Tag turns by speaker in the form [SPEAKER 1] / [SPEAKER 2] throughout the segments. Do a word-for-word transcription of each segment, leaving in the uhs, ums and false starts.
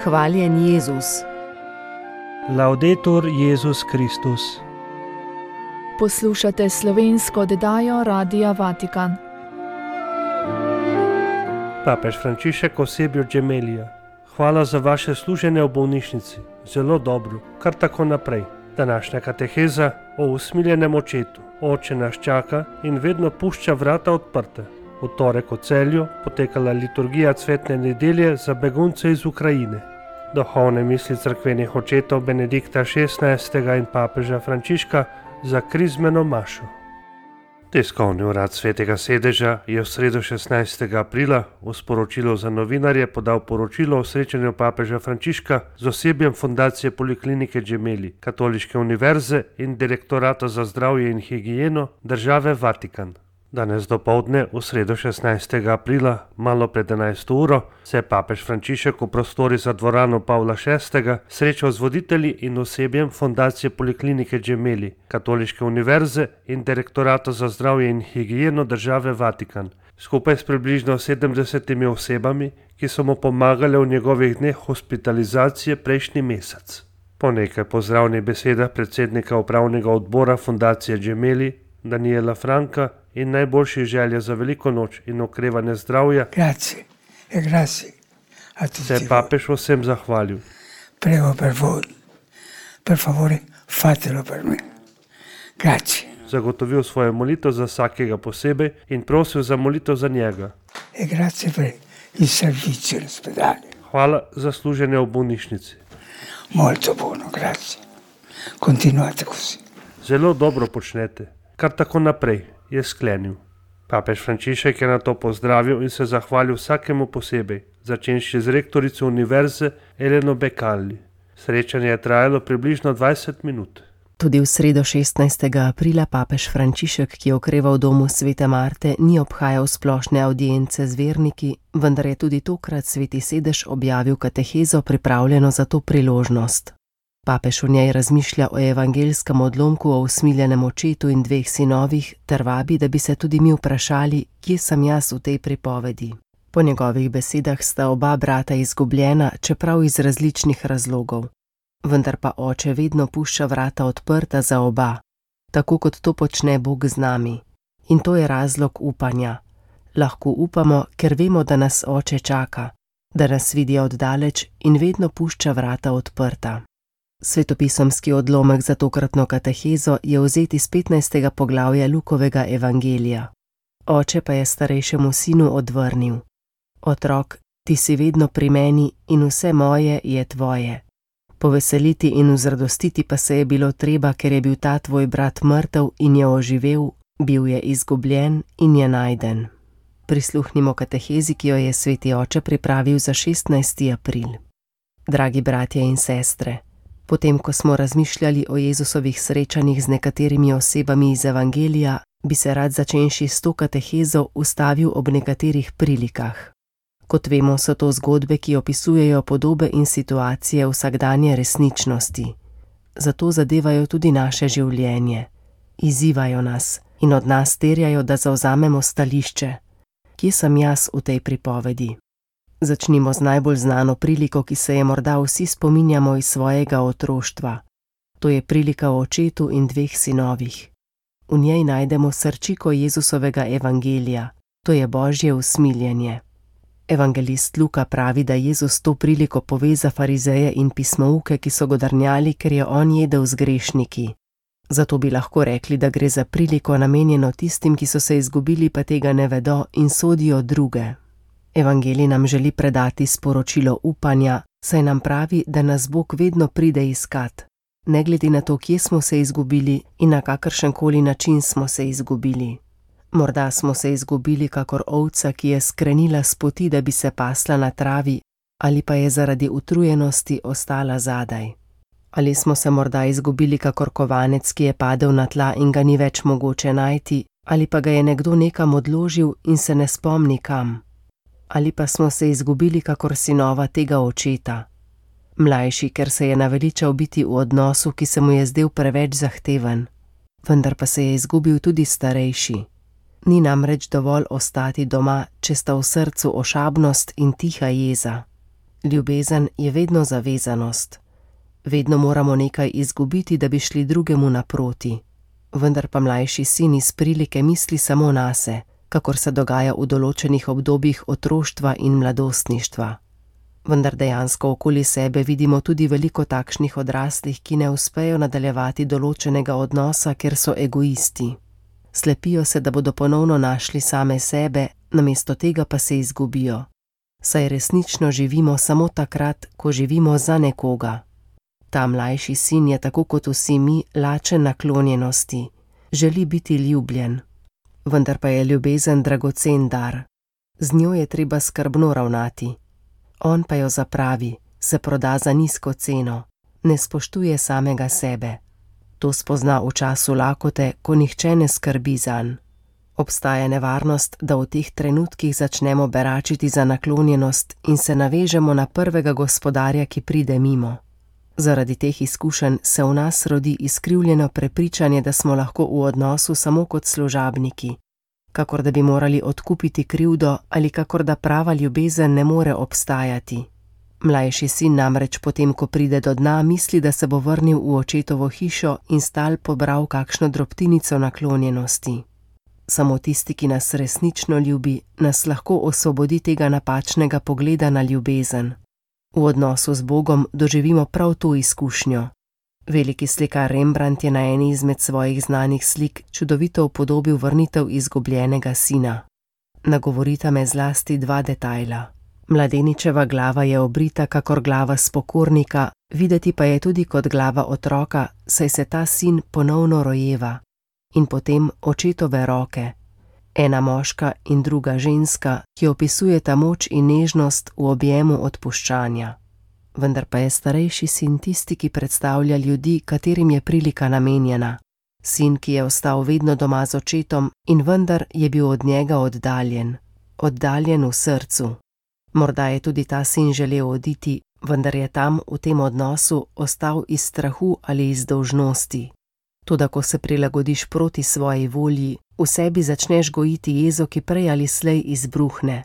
[SPEAKER 1] Hvaljen Jezus.
[SPEAKER 2] Laudetur Jezus Kristus.
[SPEAKER 3] Poslušate slovensko oddajo Radia Vatikan.
[SPEAKER 2] Papež Frančišek osebju Gemelija. Hvala za vaše služenje v bolnišnici. Zelo dobro, kar tako naprej. Današnja kateheza o usmiljenem očetu. Oče nas čaka in vedno pušča vrata odprte. V torek v Celju potekala liturgija cvetne nedelje za begunce iz Ukrajine. Duhovne misli cerkvenih očetov Benedikta šestnajstega in papeža Frančiška za krizmeno mašo. Tiskovni urad Svetega sedeža je v sredo šestnajstega aprila v sporočilu za novinarje podal poročilo o srečanju papeža Frančiška z osebjem Fundacije Poliklinike Gemelli, Katoliške univerze in Direktorata za zdravje in higieno države Vatikan. Danes dopoldne, v sredo šestnajstega aprila, malo pred enajsto uro, se je papež Frančišek v prostori za dvorano Pavla šestega srečal z voditelji in osebjem Fundacije Poliklinike Gemelli, Katoliške univerze in Direktorata za zdravje in higieno države Vatikan, skupaj s približno sedemdesetimi osebami, ki so mu pomagale v njegovih dneh hospitalizacije prejšnji mesec. Po nekaj pozdravnih besedah predsednika upravnega odbora Fundacije Gemelli, Daniela Franka, in najboljših želja za veliko noč in okrevanje zdravja,
[SPEAKER 4] Grazie, e grazie a tutti
[SPEAKER 2] se je papež vsem zahvalil.
[SPEAKER 4] Prego per voi, per favore fatelo per me. Grazie.
[SPEAKER 2] Zagotovil svojo molitev za vsakega posebej in prosil za molitev za njega.
[SPEAKER 4] E grazie per il servizio all'ospedale.
[SPEAKER 2] Hvala za služenje v bolnišnici.
[SPEAKER 4] Molto buono, grazie. Continuate così.
[SPEAKER 2] Zelo dobro počnete, kar tako naprej, je sklenil. Papež Frančišek je na to pozdravil in se zahvalil vsakemu posebej, začenši z rektorico univerze Eleno Becalli. Srečanje je trajalo približno dvajset minut.
[SPEAKER 1] Tudi v sredo šestnajstega aprila papež Frančišek, ki je okreval v domu Svete Marte, ni obhajal splošne avdience z verniki, vendar je tudi tokrat Sveti sedež objavil katehezo pripravljeno za to priložnost. Papež v njej razmišlja o evangelskem odlomku o usmiljenem očetu in dveh sinovih ter vabi, da bi se tudi mi vprašali, kje sem jaz v tej pripovedi. Po njegovih besedah sta oba brata izgubljena, čeprav iz različnih razlogov. Vendar pa oče vedno pušča vrata odprta za oba, tako kot to počne Bog z nami. In to je razlog upanja. Lahko upamo, ker vemo, da nas oče čaka, da nas vidi oddaleč in vedno pušča vrata odprta. Svetopisemski odlomek za tokratno katehezo je vzet iz petnajstega poglavja Lukovega evangelija. Oče pa je starejšemu sinu odvrnil: Otrok, ti si vedno pri meni in vse moje je tvoje. Poveseliti in vzradostiti pa se je bilo treba, ker je bil ta tvoj brat mrtev in je oživel, bil je izgubljen in je najden. Prisluhnimo katehezi, ki jo je sveti oče pripravil za šestnajsti april. Dragi bratje in sestre, potem, ko smo razmišljali o Jezusovih srečanjih z nekaterimi osebami iz evangelija, bi se rad začenši s to katehezo ustavil ob nekaterih prilikah. Kot vemo, so to zgodbe, ki opisujejo podobe in situacije vsakdanje resničnosti. Zato zadevajo tudi naše življenje. Izzivajo nas in od nas terjajo, da zavzamemo stališče. Kje sem jaz v tej pripovedi? Začnimo z najbolj znano priliko, ki se je morda vsi spominjamo iz svojega otroštva. To je prilika o očetu in dveh sinovih. V njej najdemo srčiko Jezusovega evangelija, to je Božje usmiljenje. Evangelist Luka pravi, da Jezus to priliko pove za farizeje in pismouke, ki so godrnjali, ker je on jedel z grešniki. Zato bi lahko rekli, da gre za priliko namenjeno tistim, ki so se izgubili, pa tega ne vedo in sodijo druge. Evangelij nam želi predati sporočilo upanja, saj nam pravi, da nas Bog vedno pride iskat, ne glede na to, kje smo se izgubili in na kakršenkoli način smo se izgubili. Morda smo se izgubili kakor ovca, ki je skrenila s poti, da bi se pasla na travi, ali pa je zaradi utrujenosti ostala zadaj. Ali smo se morda izgubili kakor kovanec, ki je padel na tla in ga ni več mogoče najti, ali pa ga je nekdo nekam odložil in se ne spomni kam. Ali pa smo se izgubili kakor sinova tega očeta. Mlajši, ker se je naveličal biti v odnosu, ki se mu je zdel preveč zahteven, vendar pa se je izgubil tudi starejši. Ni namreč dovolj ostati doma, če sta v srcu ošabnost in tiha jeza. Ljubezen je vedno zavezanost. Vedno moramo nekaj izgubiti, da bi šli drugemu naproti. Vendar pa mlajši sin iz prilike misli samo nase, kakor se dogaja v določenih obdobjih otroštva in mladostništva. Vendar dejansko okoli sebe vidimo tudi veliko takšnih odraslih, ki ne uspejo nadaljevati določenega odnosa, ker so egoisti. Slepijo se, da bodo ponovno našli same sebe, namesto tega pa se izgubijo. Saj resnično živimo samo takrat, ko živimo za nekoga. Ta mlajši sin je tako kot vsi mi lačen naklonjenosti, želi biti ljubljen. Vendar pa je ljubezen dragocen dar. Z njo je treba skrbno ravnati. On pa jo zapravi, se proda za nizko ceno, ne spoštuje samega sebe. To spozna v času lakote, ko nihče ne skrbi zanj. Obstaja nevarnost, da v teh trenutkih začnemo beračiti za naklonjenost in se navežemo na prvega gospodarja, ki pride mimo. Zaradi teh izkušenj se v nas rodi izkrivljeno prepričanje, da smo lahko v odnosu samo kot služabniki, kakor da bi morali odkupiti krivdo ali kakor da prava ljubezen ne more obstajati. Mlajši sin namreč potem, ko pride do dna, misli, da se bo vrnil v očetovo hišo in stal pobral kakšno drobtinico naklonjenosti. Samo tisti, ki nas resnično ljubi, nas lahko osvobodi tega napačnega pogleda na ljubezen. V odnosu z Bogom doživimo prav to izkušnjo. Veliki slikar Rembrandt je na eni izmed svojih znanih slik čudovito upodobil vrnitev izgubljenega sina. Nagovorita me zlasti dva detajla. Mladeničeva glava je obrita kakor glava spokornika, videti pa je tudi kot glava otroka, saj se ta sin ponovno rojeva. In potem očetove roke, ena moška in druga ženska, ki opisujeta moč in nežnost v objemu odpuščanja. Vendar pa je starejši sin tisti, ki predstavlja ljudi, katerim je prilika namenjena. Sin, ki je ostal vedno doma z očetom in vendar je bil od njega oddaljen, oddaljen v srcu. Morda je tudi ta sin želel oditi, vendar je tam v tem odnosu ostal iz strahu ali iz dolžnosti. Toda ko se prilagodiš proti svoji volji, v sebi začneš gojiti jezo, ki prej ali slej izbruhne.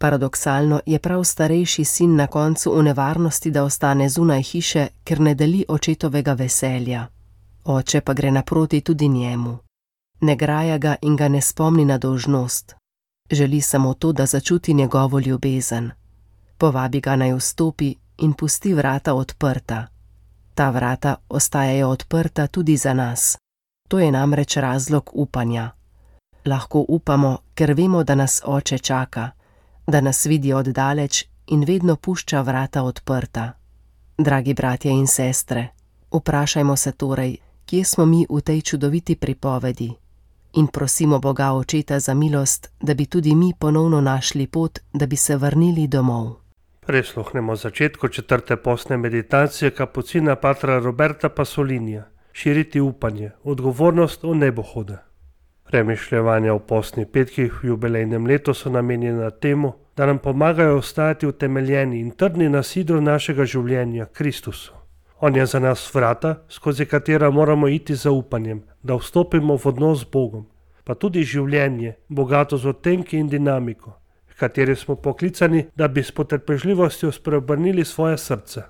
[SPEAKER 1] Paradoksalno je prav starejši sin na koncu v nevarnosti, da ostane zunaj hiše, ker ne deli očetovega veselja. Oče pa gre naproti tudi njemu. Ne graja ga in ga ne spomni na dolžnost. Želi samo to, da začuti njegovo ljubezen. Povabi ga naj vstopi in pusti vrata odprta. Ta vrata ostajajo odprta tudi za nas. To je namreč razlog upanja. Lahko upamo, ker vemo, da nas oče čaka, da nas vidi oddaleč in vedno pušča vrata odprta. Dragi bratje in sestre, vprašajmo se torej, kje smo mi v tej čudoviti pripovedi in prosimo Boga Očeta za milost, da bi tudi mi ponovno našli pot, da bi se vrnili domov.
[SPEAKER 2] Prisluhnemo začetku četrte postne meditacije kapucina patra Roberta Pasolinija. Širiti upanje, odgovornost v nebohoda. Premišljevanja v postnih petkih v jubilejnem letu so namenjena temu, da nam pomagajo ostati utemeljeni in trdni na sidru našega življenja, Kristusu. On je za nas vrata, skozi katera moramo iti z upanjem, da vstopimo v odnos z Bogom, pa tudi življenje, bogato z odtenki in dinamiko, v kateri smo poklicani, da bi s potrpežljivostjo spreobrnili svoje srce.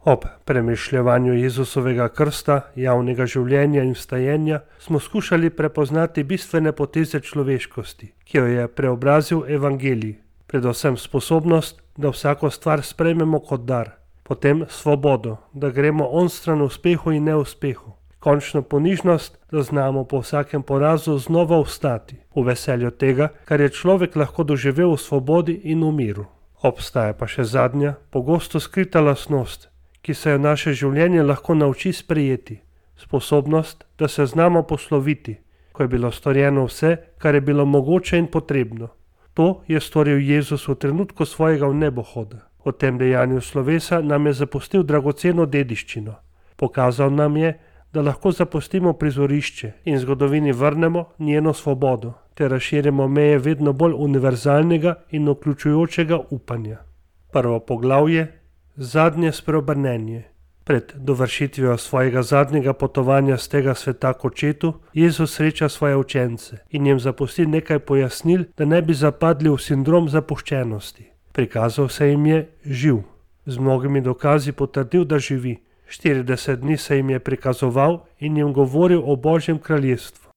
[SPEAKER 2] Ob premišljevanju Jezusovega krsta, javnega življenja in vstajenja smo skušali prepoznati bistvene poteze človeškosti, ki jo je preobrazil evangelij, predvsem sposobnost, da vsako stvar sprejmemo kot dar, potem svobodo, da gremo onstran uspehu in neuspehu, končno ponižnost, da znamo po vsakem porazu znova vstati, v veselju tega, kar je človek lahko doživel v svobodi in v miru. Obstaja pa še zadnja, pogosto skrita lastnost, ki se jo naše življenje lahko nauči sprejeti, sposobnost, da se znamo posloviti, ko je bilo storjeno vse, kar je bilo mogoče in potrebno. To je storil Jezus v trenutku svojega vnebohoda. V tem dejanju slovesa nam je zapustil dragoceno dediščino. Pokazal nam je, da lahko zapustimo prizorišče in zgodovini vrnemo njeno svobodo, ter razširimo meje vedno bolj univerzalnega in vključujočega upanja. Prvo poglavje, zadnje spreobrnenje. Pred dovršitvijo svojega zadnjega potovanja z tega sveta k Očetu, Jezus sreča svoje učence in jim zapusti nekaj pojasnil, da ne bi zapadli v sindrom zapuščenosti. Prikazal se jim je živ. Z mnogimi dokazi potrdil, da živi. štirideset dni se jim je prikazoval in jim govoril o Božjem kraljestvu.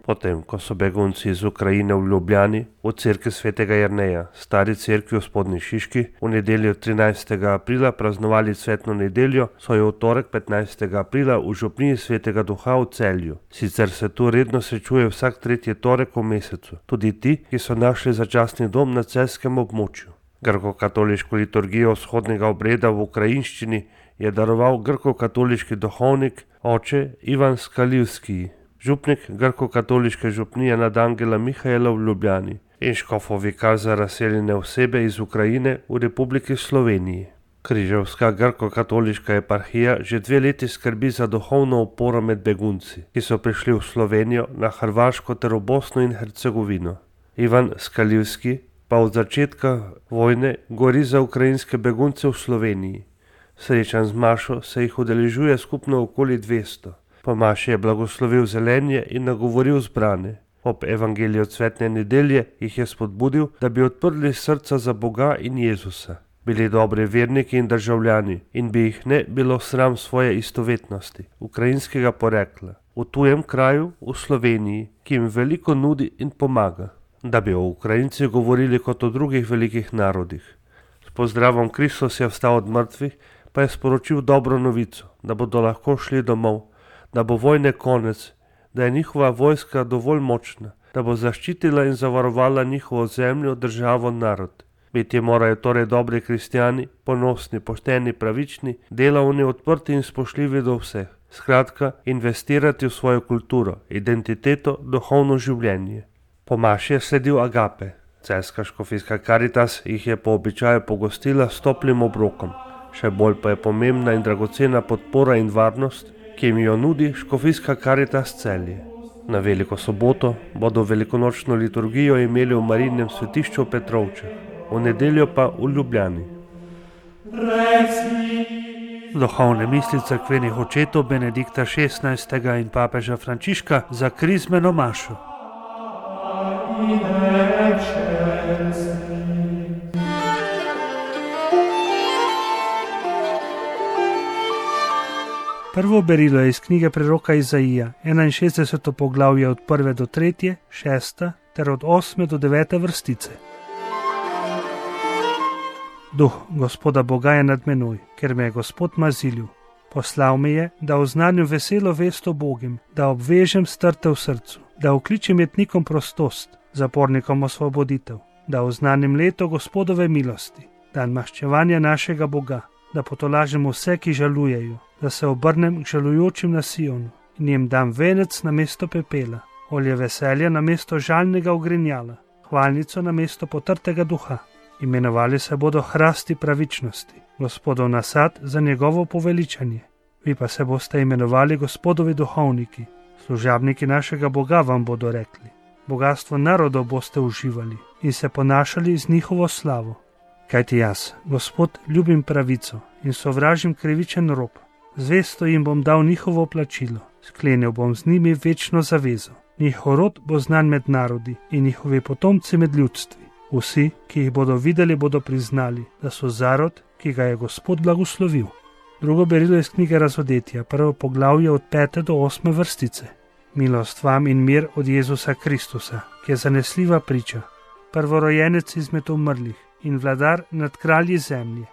[SPEAKER 2] Potem, ko so begunci iz Ukrajine v Ljubljani, v cerkvi svetega Jerneja, stari cerkvi v Spodnji Šiški, v nedeljo trinajstega aprila praznovali cvetno nedeljo, so jo v torek petnajstega aprila v župniji svetega Duha v Celju. Sicer se tu redno srečuje vsak tretji torek v mesecu, tudi ti, ki so našli začasni dom na celjskem območju. Grko-katoliško liturgijo vzhodnega obreda v ukrajinščini je daroval grko-katoliški duhovnik oče Ivan Skalivski, župnik grko-katoliške župnije nad Angela Mihaela v Ljubljani in škofov vikar za razseljene osebe iz Ukrajine v Republiki Sloveniji. Križevska grko-katoliška eparhija že dve leti skrbi za duhovno oporo med begunci, ki so prišli v Slovenijo, na Hrvaško ter v Bosno in Hercegovino. Ivan Skalivski pa od začetka vojne gori za ukrajinske begunce v Sloveniji. Srečan z mašo se jih udeležuje skupno okoli dvesto. Po maši je blagoslovil zelenje in nagovoril zbrane. Ob evangeliju cvetne nedelje jih je spodbudil, da bi odprli srca za Boga in Jezusa. Bili dobri verniki in državljani in bi jih ne bilo sram svoje istovetnosti, ukrajinskega porekla, v tujem kraju, v Sloveniji, ki jim veliko nudi in pomaga, da bi o Ukrajincih govorili kot o drugih velikih narodih. S pozdravom Kristus je vstal od mrtvih, pa je sporočil dobro novico, da bodo lahko šli domov, da bo vojne konec, da je njihova vojska dovolj močna, da bo zaščitila in zavarovala njihovo zemljo, državo, narod. Biti morajo torej dobri kristjani, ponosni, pošteni, pravični, delavni, odprti in spoštljivi do vseh. Skratka, investirati v svojo kulturo, identiteto, duhovno življenje. Po maši je sledil agape. Celjska škofijska Karitas jih je po običaju pogostila s toplim obrokom. Še bolj pa je pomembna in dragocena podpora in varnost, ki jim jo nudi škofijska Karitas Celje. Na veliko soboto bodo velikonočno liturgijo imeli v Marijinem svetišču v Petrovčah, v nedeljo pa v Ljubljani. Duhovne misli cerkvenih očetov Benedikta šestnajstega in papeža Frančiška za krizmeno mašo. Prvo berilo je iz knjige preroka Izaija, enainšestdeseto poglavje od prve do tretje, šesta ter od osme do devete vrstice. Duh Gospoda Boga je nad menoj, ker me je Gospod mazilil. Poslal me je, da oznanjam veselo vest o Bogim, da obvežem strte v srcu, da okličem jetnikom prostost, zapornikom osvoboditev, da oznanim leto Gospodove milosti, dan maščevanja našega Boga, da potolažem vse, ki žalujejo, da se obrnem k žalujočim na Sionu in jim dam venec na mesto pepela, olje veselja na mesto žalnega ogrinjala, hvalnico na mesto potrtega duha. Imenovali se bodo hrasti pravičnosti, Gospodov nasad za njegovo poveličanje. Vi pa se boste imenovali Gospodovi duhovniki, služabniki našega Boga vam bodo rekli. Bogastvo narodov boste uživali in se ponašali z njihovo slavo. Kajti jaz, Gospod, ljubim pravico in sovražim krivičen rob. Zvesto jim bom dal njihovo plačilo, sklenil bom z njimi večno zavezo. Njihov rod bo znan med narodi in njihovi potomci med ljudstvi. Vsi, ki jih bodo videli, bodo priznali, da so zarod, ki ga je Gospod blagoslovil. Drugo berilo iz knjige Razodetja, prvo poglavje od pete do osme vrstice. Milost vam in mir od Jezusa Kristusa, ki je zanesljiva priča, prvorojenec izmed umrlih in vladar nad kralji zemlje.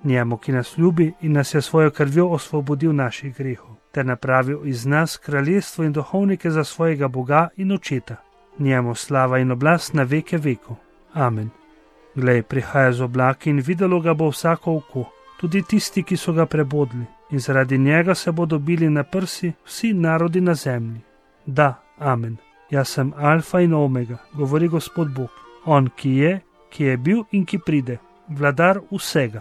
[SPEAKER 2] Njemu, ki nas ljubi in nas je svojo krvjo osvobodil naših grehov, ter napravil iz nas kraljestvo in duhovnike za svojega Boga in očeta. Njemu slava in oblast na veke vekov. Amen. Glej, prihaja z oblaki in videlo ga bo vsako oko, tudi tisti, ki so ga prebodli, in zaradi njega se bodo bili na prsi vsi narodi na zemlji. Da, amen. Jaz sem alfa in omega, govori Gospod Bog, on, ki je, ki je bil in ki pride, vladar vsega.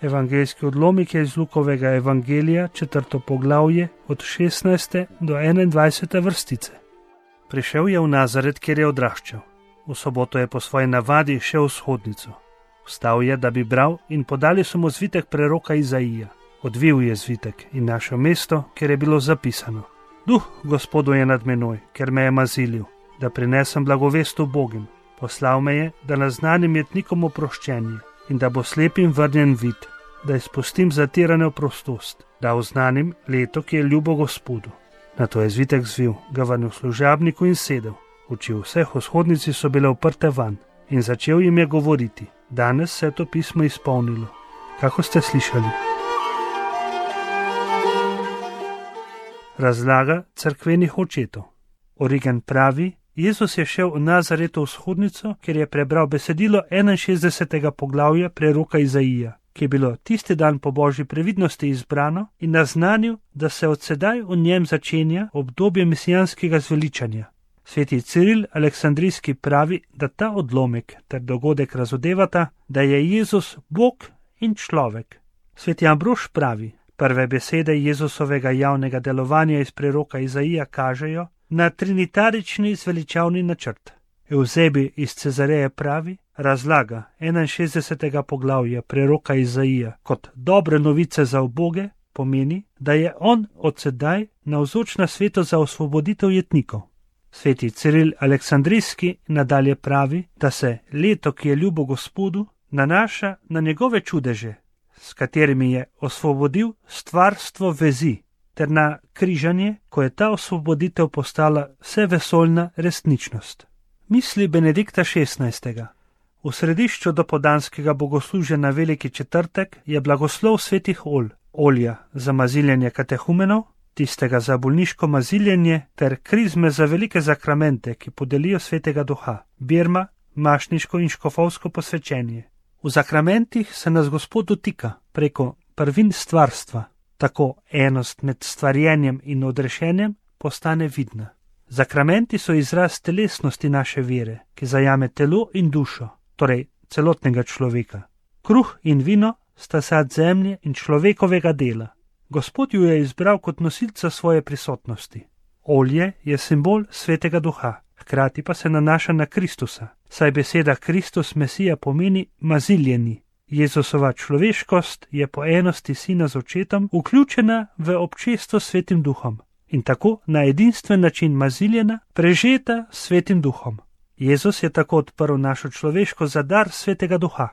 [SPEAKER 2] Evangeljski odlomek je iz Lukovega evangelija, četrto poglavje, od šestnajste do enaindvajsete vrstice. Prišel je v Nazaret, kjer je odraščal. V soboto je po svoji navadi šel v shodnico. Vstal je, da bi bral, in podali so mu zvitek preroka Izaija. Odvil je zvitek in našel mesto, kjer je bilo zapisano: Duh Gospodu je nad menoj, ker me je mazilil, da prinesem blagovest ubogim. Poslal me je, da naznanim jetnikom oproščenje in da bo slepim vrnjen vid, da izpustim zatirane v prostost, da oznanim leto, ki je ljubo Gospodu. Nato je zvitek zvil, ga vrnil služabniku in sedel. Oči vseh vzhodnici so bile uprte van in začel jim je govoriti: Danes se je to pismo izpolnilo, kako ste slišali. Razlaga cerkvenih očetov. Origen pravi: Jezus je šel v Nazareto vzhodnico, kjer je prebral besedilo enainšestdesetega poglavja preroka Izaija, ki je bilo tisti dan po božji previdnosti izbrano, in naznanil, da se od sedaj v njem začenja obdobje mesijanskega zveličanja. Sveti Ciril Aleksandrijski pravi, da ta odlomek ter dogodek razodevata, da je Jezus Bog in človek. Sveti Ambrož pravi: Prve besede Jezusovega javnega delovanja iz preroka Izaija kažejo na trinitarični zveličavni načrt. Euzebi iz Cezareje pravi, razlaga enainšestdesetega poglavja preroka Izaija kot dobre novice za uboge, pomeni, da je on od sedaj navzoč na svetu za osvoboditev jetnikov. Sveti Ciril Aleksandrijski nadalje pravi, da se leto, ki je ljubo Gospodu, nanaša na njegove čudeže, s katerimi je osvobodil stvarstvo vezi, ter na križanje, ko je ta osvoboditev postala vsevesoljna resničnost. Misli Benedikta šestnajstega. V središču dopoldanskega bogoslužja na Veliki četrtek je blagoslov svetih olj, olja za maziljenje katehumenov, tistega za bolniško maziljenje ter krizme za velike zakramente, ki podelijo svetega duha, birma, mašniško in škofovsko posvečenje. V zakramentih se nas Gospod dotika preko prvin stvarstva, tako enost med stvarjenjem in odrešenjem postane vidna. Zakramenti so izraz telesnosti naše vere, ki zajame telo in dušo, torej celotnega človeka. Kruh in vino sta sad zemlje in človekovega dela. Gospod ju je izbral kot nosilca svoje prisotnosti. Olje je simbol svetega duha, hkrati pa se nanaša na Kristusa, saj beseda Kristus Mesija pomeni maziljeni. Jezusova človeškost je po enosti sina z očetom vključena v občestvo s svetim duhom in tako na edinstven način maziljena, prežeta s svetim duhom. Jezus je tako odprl našo človeško za dar svetega duha.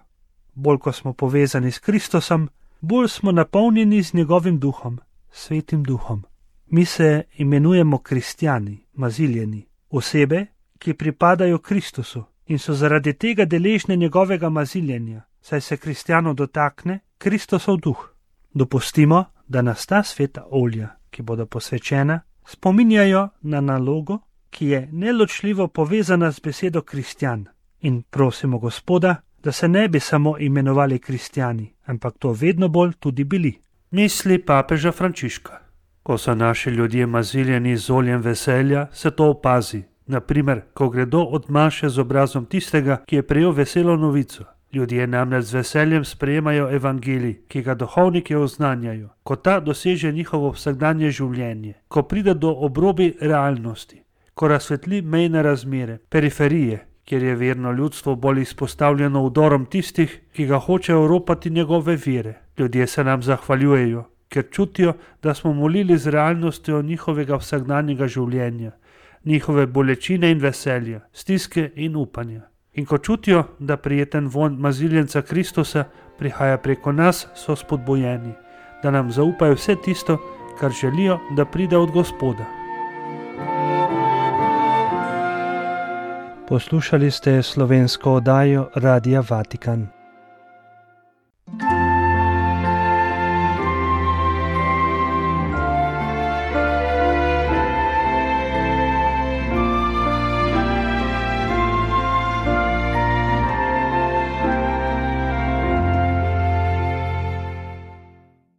[SPEAKER 2] Bolj ko smo povezani s Kristusom, bolj smo napolnjeni z njegovim duhom, svetim duhom. Mi se imenujemo kristjani, maziljeni, osebe, ki pripadajo Kristusu in so zaradi tega deležne njegovega maziljenja, saj se kristjanov dotakne Kristusov duh. Dopustimo, da nas ta sveta olja, ki bodo posvečena, spominjajo na nalogo, ki je neločljivo povezana z besedo kristjan, in prosimo Gospoda, da se ne bi samo imenovali kristjani, ampak to vedno bolj tudi bili.
[SPEAKER 5] Misli papeža Frančiška. Ko so naši ljudje maziljeni z oljem veselja, se to opazi. Naprimer, ko gredo od maše z obrazom tistega, ki je prejel veselo novico. Ljudje namreč z veseljem sprejemajo evangelij, ki ga duhovniki oznanjajo, ko ta doseže njihovo vsakdanje življenje, ko pride do obrobi realnosti, ko razsvetli mejne razmere, periferije, kjer je verno ljudstvo bolj izpostavljeno vdorom tistih, ki ga hočejo ropati njegove vere. Ljudje se nam zahvaljujejo, ker čutijo, da smo molili z realnostjo njihovega vsakdanjega življenja, njihove bolečine in veselja, stiske in upanja. In ko čutijo, da prijeten vonj maziljenca Kristusa prihaja preko nas, so spodbojeni, da nam zaupajo vse tisto, kar želijo, da pride od Gospoda.
[SPEAKER 2] Poslušali ste slovensko oddajo Radia Vatikan.